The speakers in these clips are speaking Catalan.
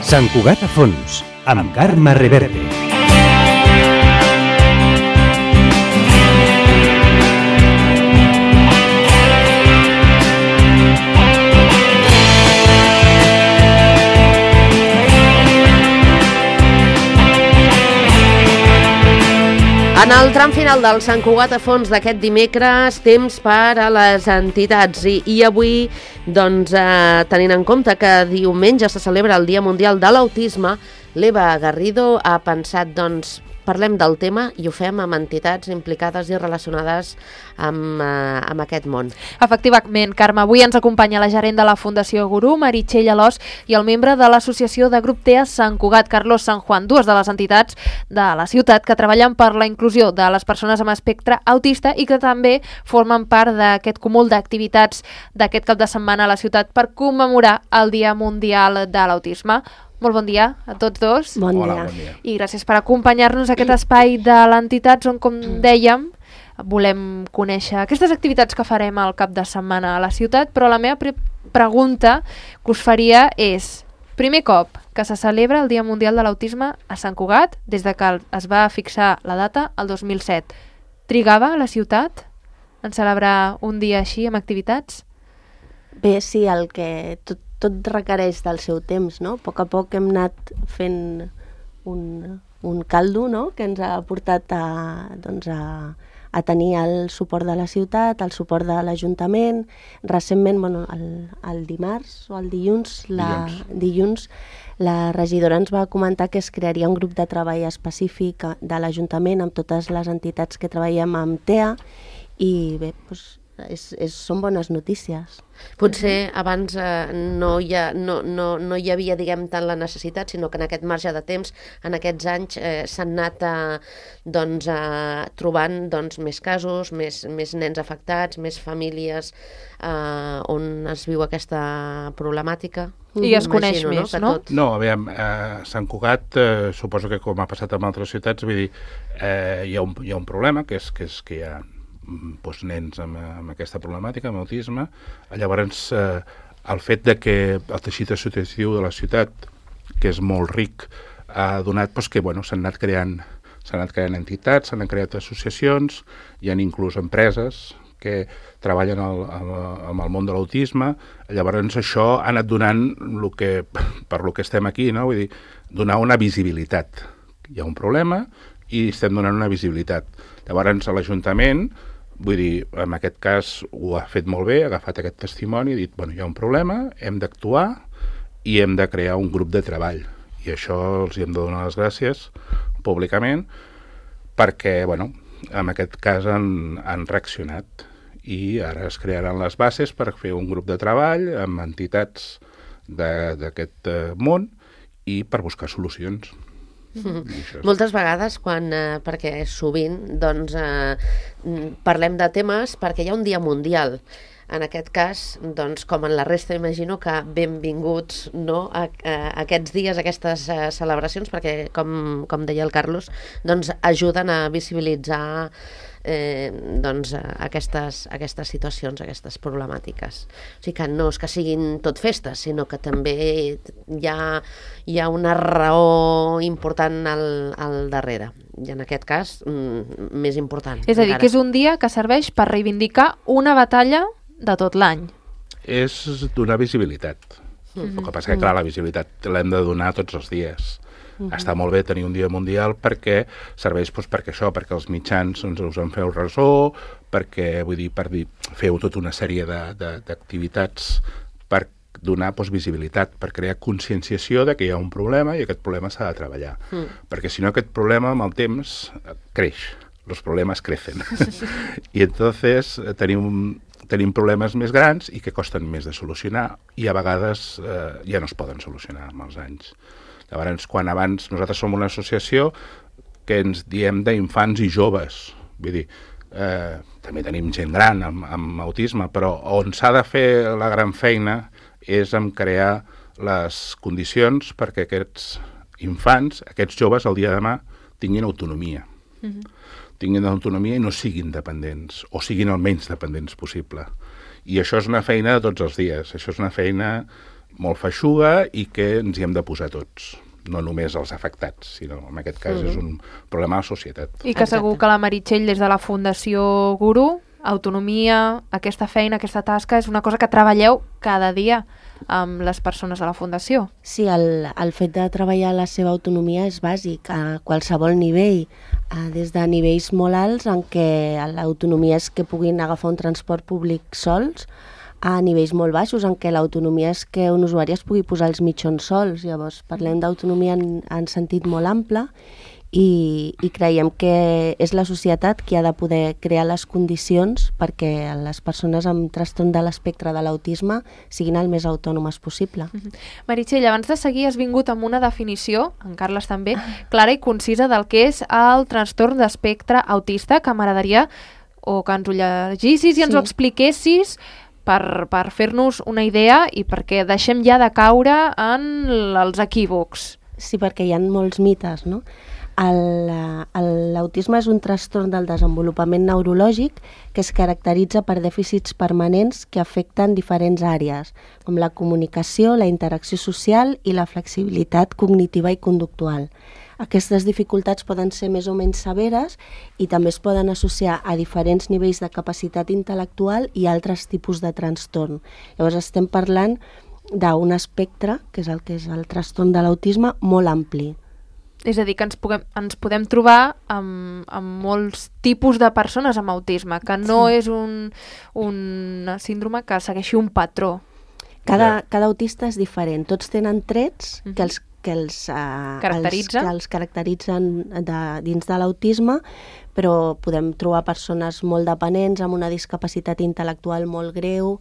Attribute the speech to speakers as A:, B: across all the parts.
A: Sant Cugat a fons, amb Carme Reverte.
B: En el tram final del Sant Cugat a fons d'aquest dimecres, temps per a les entitats. I avui, doncs, tenint en compte que diumenge se celebra el Dia Mundial de l'Autisme, l'Eva Garrido ha pensat, doncs, parlem del tema i ho fem amb entitats implicades i relacionades amb aquest món.
C: Efectivament, Carme, avui ens acompanya la gerent de la Fundació Gurú, Meritxell Alòs, i el membre de l'associació de Grup TEA Sant Cugat, Carlos San Juan, dues de les entitats de la ciutat que treballen per la inclusió de les persones amb espectre autista i que també formen part d'aquest cúmul d'activitats d'aquest cap de setmana a la ciutat per commemorar el Dia Mundial de l'Autisme. Molt bon dia a tots dos.
B: Bon dia.
D: Hola, bon dia.
C: I gràcies per acompanyar-nos a aquest espai de l'entitat on, com dèiem, volem conèixer aquestes activitats que farem al cap de setmana a la ciutat, però la meva pregunta que us faria és, primer cop que se celebra el Dia Mundial de l'Autisme a Sant Cugat, des de que es va fixar la data el 2007. Trigava la ciutat en celebrar un dia així amb activitats?
E: Bé, sí, el que tot requereix del seu temps, no? A poc hem anat fent un caldo, no?, que ens ha portat a tenir el suport de la ciutat, el suport de l'Ajuntament. Recentment, el dimarts o el dilluns, la regidora ens va comentar que es crearia un grup de treball específic de l'Ajuntament amb totes les entitats que treballem amb TEA i bé, doncs, són bones notícies.
B: Potser abans no hi havia, diguem, tant la necessitat, sinó que en aquest marge de temps, en aquests anys, s'han anat trobant més casos, més nens afectats, més famílies on es viu aquesta problemàtica.
C: I es coneix més, no?
D: No, aviam, a Sant Cugat, suposo que com ha passat en altres ciutats, vull dir, hi ha un problema, que és que hi ha nens amb aquesta problemàtica, amb autisme. Llavors, el fet de que el teixit associatiu de la ciutat, que és molt ric, ha donat que s'han anat creant entitats, s'han creat associacions, hi ha inclús empreses que treballen amb el món de l'autisme. Llavors això ha anat donant per lo que estem aquí, no? Vull dir, donar una visibilitat. Hi ha un problema i estem donant una visibilitat. Llavors l'Ajuntament, vull dir, en aquest cas ho ha fet molt bé, ha agafat aquest testimoni i ha dit, hi ha un problema, hem d'actuar i hem de crear un grup de treball. I això els hem de donar les gràcies públicament perquè, en aquest cas han reaccionat i ara es crearan les bases per fer un grup de treball amb entitats d'aquest món i per buscar solucions.
B: Moltes vegades, perquè sovint parlem de temes perquè hi ha un dia mundial. En aquest cas, com en la resta, imagino que benvinguts a aquests dies, a aquestes celebracions, perquè, com deia el Carlos, ajuden a visibilitzar aquestes situacions, aquestes problemàtiques. O sigui que no és que siguin tot festes, sinó que també hi ha una raó important al darrere. I en aquest cas, més important.
C: És a dir, que és un dia que serveix per reivindicar una batalla de tot l'any.
D: És donar visibilitat. El que passa que, clar, la visibilitat l'hem de donar tots els dies. Està molt bé tenir un dia mundial perquè serveix perquè els mitjans us en feu ressò, perquè, feu tota una sèrie d'activitats per donar visibilitat, per crear conscienciació de que hi ha un problema i aquest problema s'ha de treballar. Perquè si no aquest problema amb el temps creix, els problemes crecen. I entonces tenim problemes més grans i que costen més de solucionar i a vegades ja no es poden solucionar amb els anys. Llavors, quan abans nosaltres som una associació que ens diem d'infants i joves, vull dir, també tenim gent gran amb autisme, però on s'ha de fer la gran feina és en crear les condicions perquè aquests infants, aquests joves, el dia de demà, tinguin autonomia. Tinguin autonomia i no siguin dependents, o siguin el menys dependents possible. I això és una feina de tots els dies, això és una feina molt feixuga i que ens hi hem de posar tots, no només els afectats, sinó en aquest cas és un problema de la societat.
C: I que segur que la Meritxell, des de la Fundació Guru, autonomia, aquesta feina, aquesta tasca, és una cosa que treballeu cada dia amb les persones de la Fundació.
E: Sí, el fet de treballar la seva autonomia és bàsic a qualsevol nivell, des de nivells molt alts en què l'autonomia és que puguin agafar un transport públic sols, a nivells molt baixos en què l'autonomia és que un usuari es pugui posar els mitjons sols. Llavors parlem d'autonomia en sentit molt ample i creiem que és la societat qui ha de poder crear les condicions perquè les persones amb trastorn de l'espectre de l'autisme siguin el més autònomes possible.
C: Meritxell, abans de seguir has vingut amb una definició, en Carles també, clara i concisa del que és el trastorn d'espectre autista, que m'agradaria o que ens ho llegissis i ens ho expliquessis per fer-nos una idea i perquè deixem ja de caure en els equívocs.
E: Sí, perquè hi ha molts mites, no? L'autisme és un trastorn del desenvolupament neurològic que es caracteritza per dèficits permanents que afecten diferents àrees, com la comunicació, la interacció social i la flexibilitat cognitiva i conductual. Aquestes dificultats poden ser més o menys severes i també es poden associar a diferents nivells de capacitat intel·lectual i altres tipus de trastorn. Llavors estem parlant d'un espectre, que és el trastorn de l'autisme, molt ampli.
C: És a dir, que ens podem trobar amb molts tipus de persones amb autisme, que no és un síndrome que segueixi un patró.
E: Cada autista és diferent. Tots tenen trets que els caracteritzen dins de l'autisme, però podem trobar persones molt dependents amb una discapacitat intel·lectual molt greu,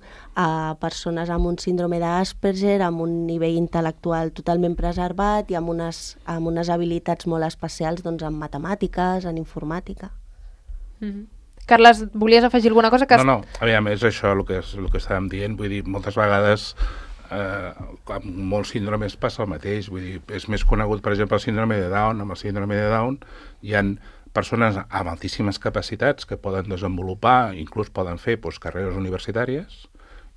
E: persones amb un síndrome d'Asperger, amb un nivell intel·lectual totalment preservat i amb unes habilitats molt especials en matemàtiques, en informàtica.
C: Carles, volies afegir alguna cosa?
D: No, aviam, és això el que estàvem dient, vull dir, moltes vegades amb molts síndromes passa el mateix, vull dir, és més conegut, per exemple, el síndrome de Down. Amb el síndrome de Down hi ha persones amb altíssimes capacitats que poden desenvolupar, inclús poden fer carreres universitàries,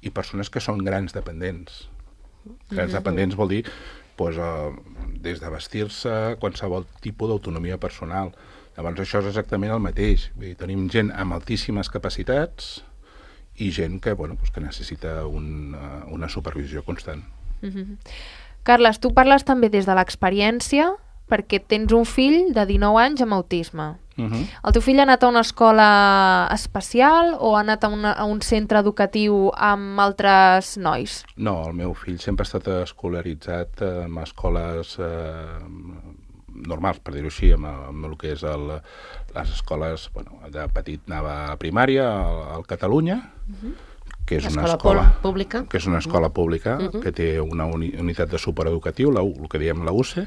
D: i persones que són grans dependents. Grans dependents vol dir des de vestir-se, qualsevol tipus d'autonomia personal. Llavors això és exactament el mateix. Vull dir, tenim gent amb altíssimes capacitats i gent que necessita una supervisió constant.
C: Carles, tu parles també des de l'experiència perquè tens un fill de 19 anys amb autisme. El teu fill ha anat a una escola especial o ha anat a un centre educatiu amb altres nois?
D: No, el meu fill sempre ha estat escolaritzat en escoles normals, per dir-ho així, amb el que és les escoles. De petit anava a primària al Catalunya, que és una escola
B: pública,
D: que té una unitat de supereducatiu, el que diem la UCE,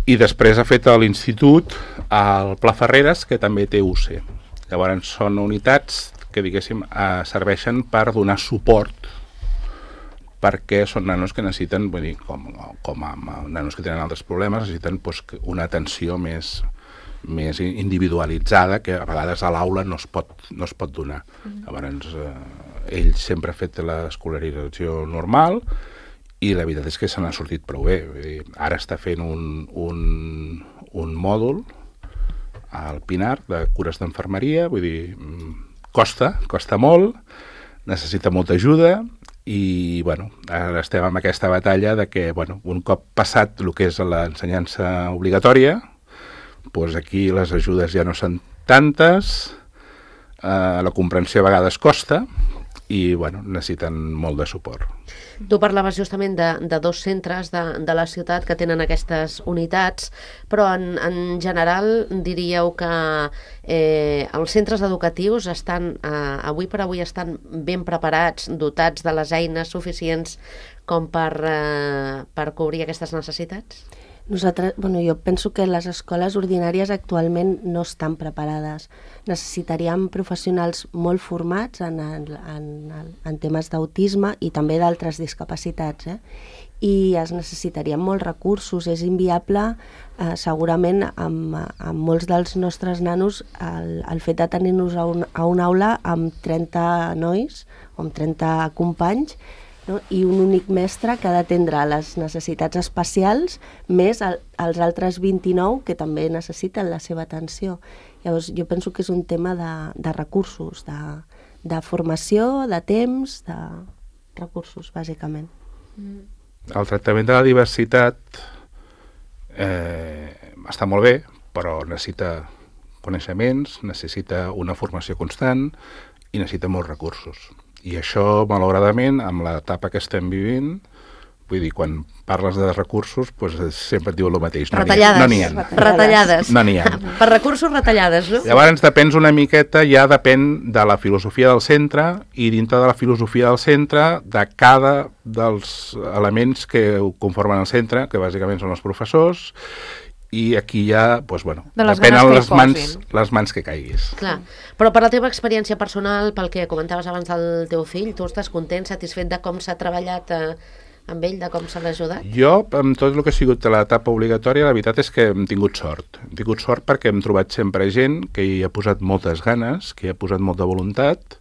D: i després ha fet l'institut al Pla Ferreres, que també té UCE. Llavors són unitats que, diguéssim, serveixen per donar suport, perquè són nanos que necessiten, vull dir, com a nanos que tenen altres problemes, necessiten una atenció més individualitzada, que a vegades a l'aula no es pot donar. Llavors ell sempre ha fet l'escolarització normal i la veritat és que se n'ha sortit prou bé. Vull dir, ara està fent un mòdul al Pinar de cures d'enfermeria, vull dir, costa molt, necessita molta ajuda i, ara estem en aquesta batalla de que, un cop passat el que és l'ensenyança obligatòria, aquí les ajudes ja no són tantes, la comprensió a vegades costa i necessiten molt de suport.
B: Tu parlaves justament de dos centres de la ciutat que tenen aquestes unitats, però en general diríeu que els centres educatius avui per avui estan ben preparats, dotats de les eines suficients com per cobrir aquestes necessitats?
E: Jo penso que les escoles ordinàries actualment no estan preparades. Necessitaríem professionals molt formats en temes d'autisme i també d'altres discapacitats, i es necessitarien molts recursos. És inviable, segurament, amb molts dels nostres nanos, el fet de tenir-nos a una aula amb 30 nois o amb 30 companys no? I un únic mestre que ha d'atendre les necessitats especials més els altres 29 que també necessiten la seva atenció. Llavors, jo penso que és un tema de recursos, de formació, de temps, de recursos, bàsicament.
D: El tractament de la diversitat està molt bé, però necessita coneixements, necessita una formació constant i necessita molts recursos. I això, malauradament, amb l'etapa que estem vivint, vull dir, quan parles de recursos, doncs sempre et diu el mateix.
B: Retallades.
D: No n'hi ha.
B: Retallades.
D: No n'hi ha.
B: Per recursos, retallades, no?
D: Llavors depèn una miqueta, ja depèn de la filosofia del centre i dintre de la filosofia del centre de cada dels elements que conformen el centre, que bàsicament són els professors, i aquí ja, doncs, bueno, depenen les mans que caiguis.
B: Clar, però per la teva experiència personal, pel que comentaves abans del teu fill, tu estàs content, satisfet de com s'ha treballat amb ell, de com se l'ha ajudat?
D: Jo, amb tot el que ha sigut l'etapa obligatòria, la veritat és que hem tingut sort. Hem tingut sort perquè hem trobat sempre gent que hi ha posat moltes ganes, que hi ha posat molta voluntat,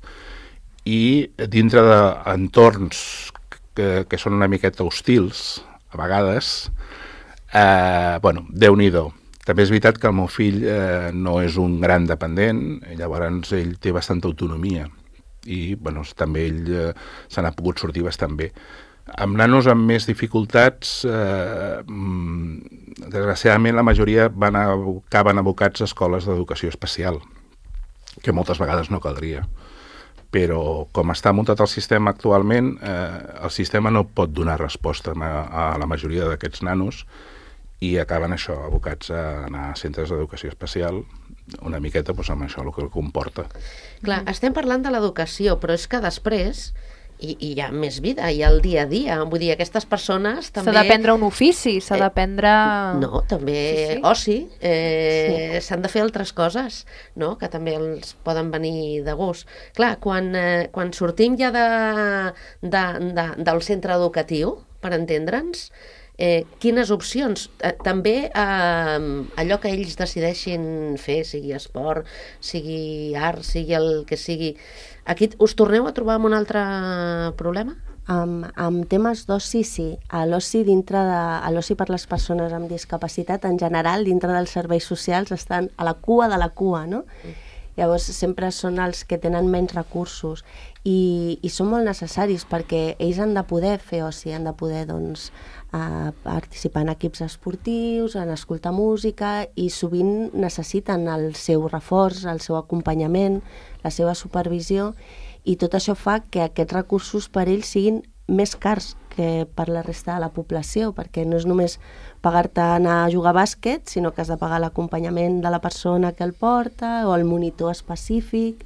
D: i dintre d'entorns que són una miqueta hostils, a vegades, bueno, Déu-n'hi-do. També és veritat que el meu fill no és un gran dependent, llavors ell té bastanta autonomia i bueno, també ell se n'ha pogut sortir bastant bé. Amb nanos amb més dificultats, desgraciadament la majoria acaben abocats a escoles d'educació especial, que moltes vegades no caldria. Però com està muntat el sistema actualment, el sistema no pot donar resposta a la majoria d'aquests nanos i acaben això, abocats a anar a centres d'educació especial, una miqueta doncs, amb això el que comporta.
B: Clar, estem parlant de l'educació, però és que després hi ha més vida, hi ha el dia a dia. Vull dir, aquestes persones també...
C: S'ha d'aprendre un ofici, s'ha d'aprendre...
B: No, també
C: sí.
B: Oci. S'han de fer altres coses, no?, que també els poden venir de gust. Clar, quan sortim ja del centre educatiu, per entendre'ns, quines opcions? També allò que ells decideixin fer, sigui esport, sigui art, sigui el que sigui. Aquí us torneu a trobar amb un altre problema?
E: Amb temes d'oci, sí. L'oci l'oci per les persones amb discapacitat, en general, dintre dels serveis socials, estan a la cua de la cua, no? Llavors sempre són els que tenen menys recursos i són molt necessaris perquè ells han de poder fer oci, han de poder doncs, participar en equips esportius, en escoltar música i sovint necessiten el seu reforç, el seu acompanyament, la seva supervisió i tot això fa que aquests recursos per ells siguin més cars que per la resta de la població, perquè no és només pagar-te anar a jugar a bàsquet, sinó que has de pagar l'acompanyament de la persona que el porta o el monitor específic.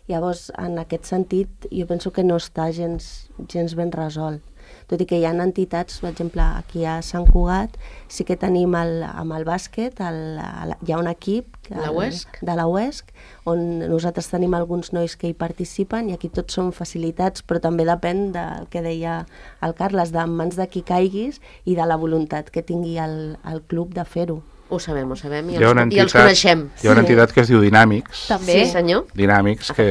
E: Llavors, en aquest sentit, jo penso que no està gens ben resolt. Tot i que hi ha entitats, per exemple, aquí a Sant Cugat, sí que tenim amb el bàsquet, hi ha un equip de la UESC, on nosaltres tenim alguns nois que hi participen i aquí tots són facilitats, però també depèn del que deia el Carles, de mans de qui caiguis i de la voluntat que tingui el club de fer-ho.
B: Ho sabem i els coneixem.
D: Hi ha una entitat que es diu Dinàmics.
B: També. Sí, senyor.
D: Dinàmics, que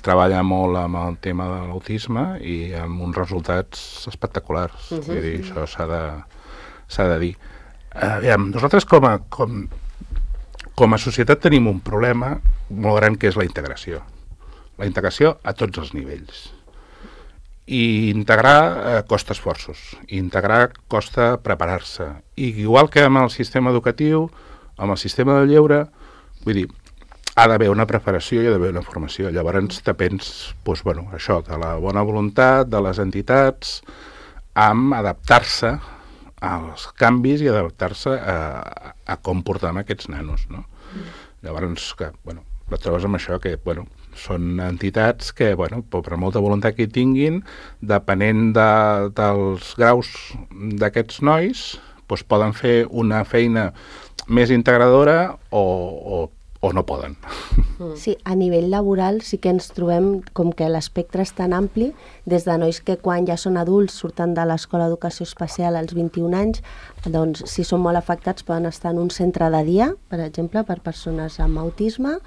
D: treballa molt amb el tema de l'autisme i amb uns resultats espectaculars. Vull dir, això s'ha de dir. Nosaltres com a societat tenim un problema molt gran que és la integració. La integració a tots els nivells. I integrar costa esforços, integrar costa preparar-se. I igual que amb el sistema educatiu, amb el sistema del lleure, vull dir, ha d'haver una preparació i ha d'haver una formació. Llavors depens, doncs, bueno, això, de la bona voluntat de les entitats, amb adaptar-se als canvis i adaptar-se a com portem aquests nanos, no? Llavors, que, bueno, et trobes amb això que, bueno, són entitats que, bueno, per molta voluntat que hi tinguin, depenent dels graus d'aquests nois, doncs poden fer una feina més integradora o no poden.
E: Sí, a nivell laboral sí que ens trobem com que l'espectre és tan ampli, des de nois que quan ja són adults surten de l'Escola d'Educació Especial als 21 anys, doncs si són molt afectats poden estar en un centre de dia, per exemple, per persones amb autisme,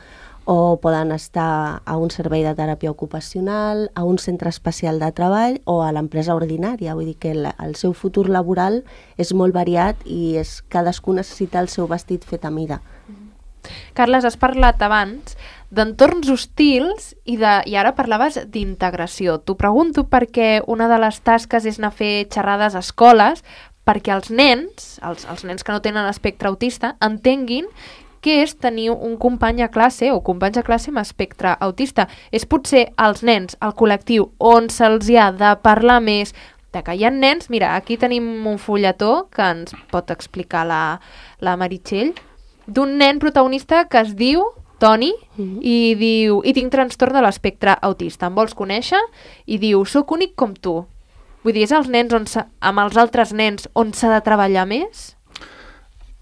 E: o poden estar a un servei de teràpia ocupacional, a un centre especial de treball o a l'empresa ordinària. Vull dir que el seu futur laboral és molt variat i cadascú necessita el seu vestit fet a mida.
C: Carles, has parlat abans d'entorns hostils i ara parlaves d'integració. T'ho pregunto perquè una de les tasques és anar a fer xerrades a escoles perquè els nens que no tenen espectre autista, entenguin què és tenir un company a classe o companys a classe amb espectre autista. És potser els nens, el col·lectiu, on se'ls ha de parlar més de que hi ha nens. Mira, aquí tenim un fulletó que ens pot explicar la Meritxell, d'un nen protagonista que es diu Toni i diu, i tinc trastorn de l'espectre autista. Em vols conèixer? I diu, soc únic com tu. Vull dir, és els nens amb els altres nens on s'ha de treballar més?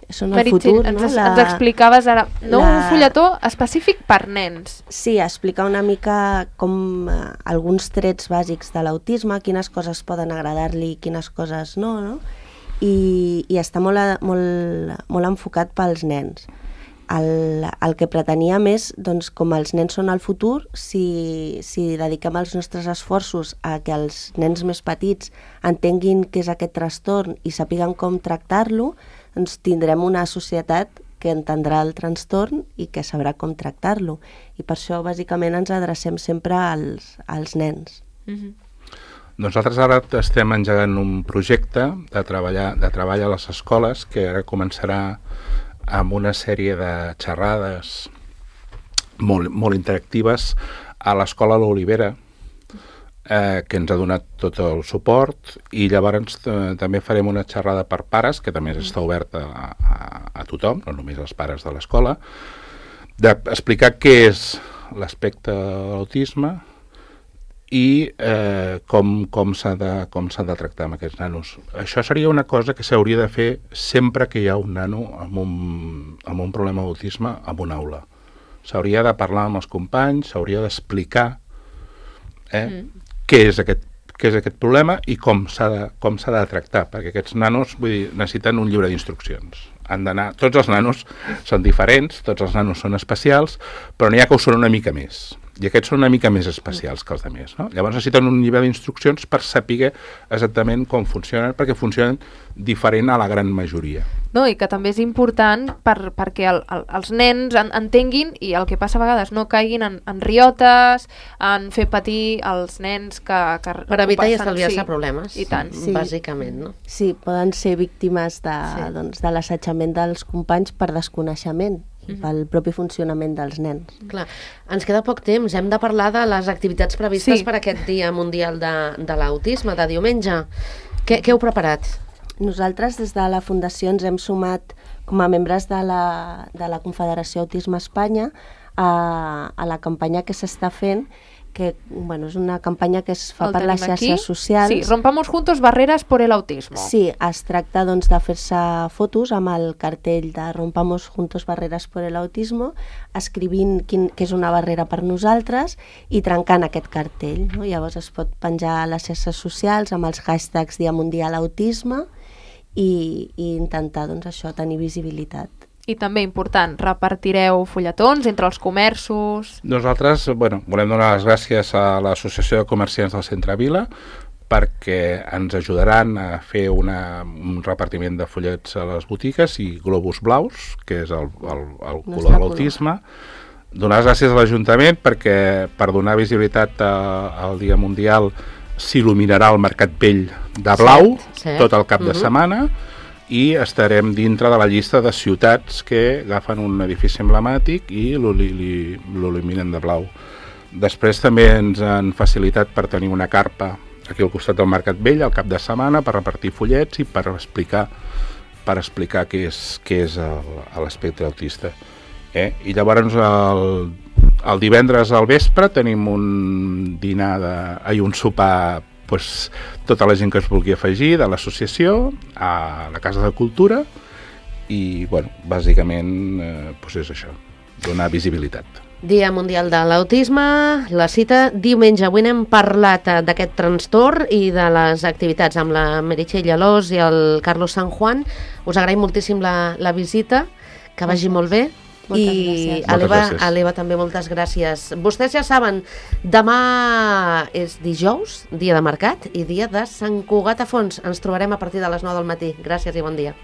E: Són el futur, no?
C: Ens explicaves ara, un fulletó específic per nens.
E: Sí, explicar una mica com alguns trets bàsics de l'autisme, quines coses poden agradar-li i quines coses no? I està molt enfocat pels nens. El que preteníem és, doncs, com els nens són el futur, si dediquem els nostres esforços a que els nens més petits entenguin què és aquest trastorn i sàpiguen com tractar-lo, doncs tindrem una societat que entendrà el trastorn i que sabrà com tractar-lo. I per això, bàsicament, ens adrecem sempre als nens.
D: Nosaltres ara estem engegant un projecte de treball a les escoles que ara començarà amb una sèrie de xerrades molt interactives a l'escola L'Olivera, que ens ha donat tot el suport, i llavors també farem una xerrada per pares, que també està oberta a tothom, no només als pares de l'escola, d'explicar què és l'aspecte de l'autisme i com s'ha de tractar amb aquests nanos. Això seria una cosa que s'hauria de fer sempre que hi ha un nano amb un problema d'autisme en una aula. S'hauria de parlar amb els companys, s'hauria d'explicar què és aquest problema i com s'ha de tractar, perquè aquests nanos, vull dir, necessiten un llibre d'instruccions. Tots els nanos són diferents, tots els nanos són especials, però n'hi ha que ho són una mica més. I aquests són una mica més especials que els altres, no? Llavors necessiten un llibre d'instruccions per saber exactament com funcionen, perquè funcionen diferent a la gran majoria.
C: No, i que també és important perquè els nens entenguin, i el que passa a vegades, no caiguin en riotes, en fer patir els nens que
B: per evitar i estalviar-se problemes,
C: i tant.
B: Sí. Bàsicament, no?
E: Sí, poden ser víctimes de l'assetjament dels companys per desconeixement, pel propi funcionament dels nens.
B: Clar, ens queda poc temps. Hem de parlar de les activitats previstes per aquest Dia Mundial de l'Autisme, de diumenge. Què heu preparat?
E: Nosaltres, des de la Fundació, ens hem sumat com a membres de la Confederació Autisme Espanya a la campanya que s'està fent, que és una campanya que es fa per les xarxes socials.
C: Sí, rompamos juntos barreres por el autismo.
E: Sí, es tracta de fer-se fotos amb el cartell de Rompamos juntos barreres por el autismo, escrivint què és una barrera per nosaltres i trencant aquest cartell. No? Llavors es pot penjar a les xarxes socials amb els hashtags Dia Mundial Autisme i intentar això, tenir visibilitat.
C: I també important, repartireu fulletons entre els comerços...
D: Nosaltres, volem donar les gràcies a l'Associació de Comerciants del Centre Vila perquè ens ajudaran a fer un repartiment de fullets a les botigues i globus blaus, que és el color de l'autisme. Donar les gràcies a l'Ajuntament perquè per donar visibilitat al Dia Mundial s'il·luminarà el Mercat Vell de blau tot el cap de setmana, i estarem dintre de la llista de ciutats que agafen un edifici emblemàtic i l'il·luminen de blau. Després també ens han facilitat per tenir una carpa aquí al costat del Mercat Vell al cap de setmana per repartir fullets i per explicar què és l'espectre autista. I llavors el divendres al vespre tenim un sopar tota la gent que es vulgui afegir de l'associació a la Casa de Cultura i, bàsicament, és això, donar visibilitat.
B: Dia Mundial de l'Autisme, la cita diumenge. Avui n'hem parlat d'aquest trastorn i de les activitats amb la Meritxell Alòs i el Carlos San Juan. Us agraïm moltíssim la visita, que vagi molt bé.
E: Moltes
B: I
E: gràcies.
B: a l'Eva,
D: Moltes gràcies.
B: també moltes gràcies. Vostès ja saben, demà és dijous, dia de mercat i dia de Sant Cugat a Fons. Ens trobarem a partir de les 9 del matí. Gràcies i bon dia.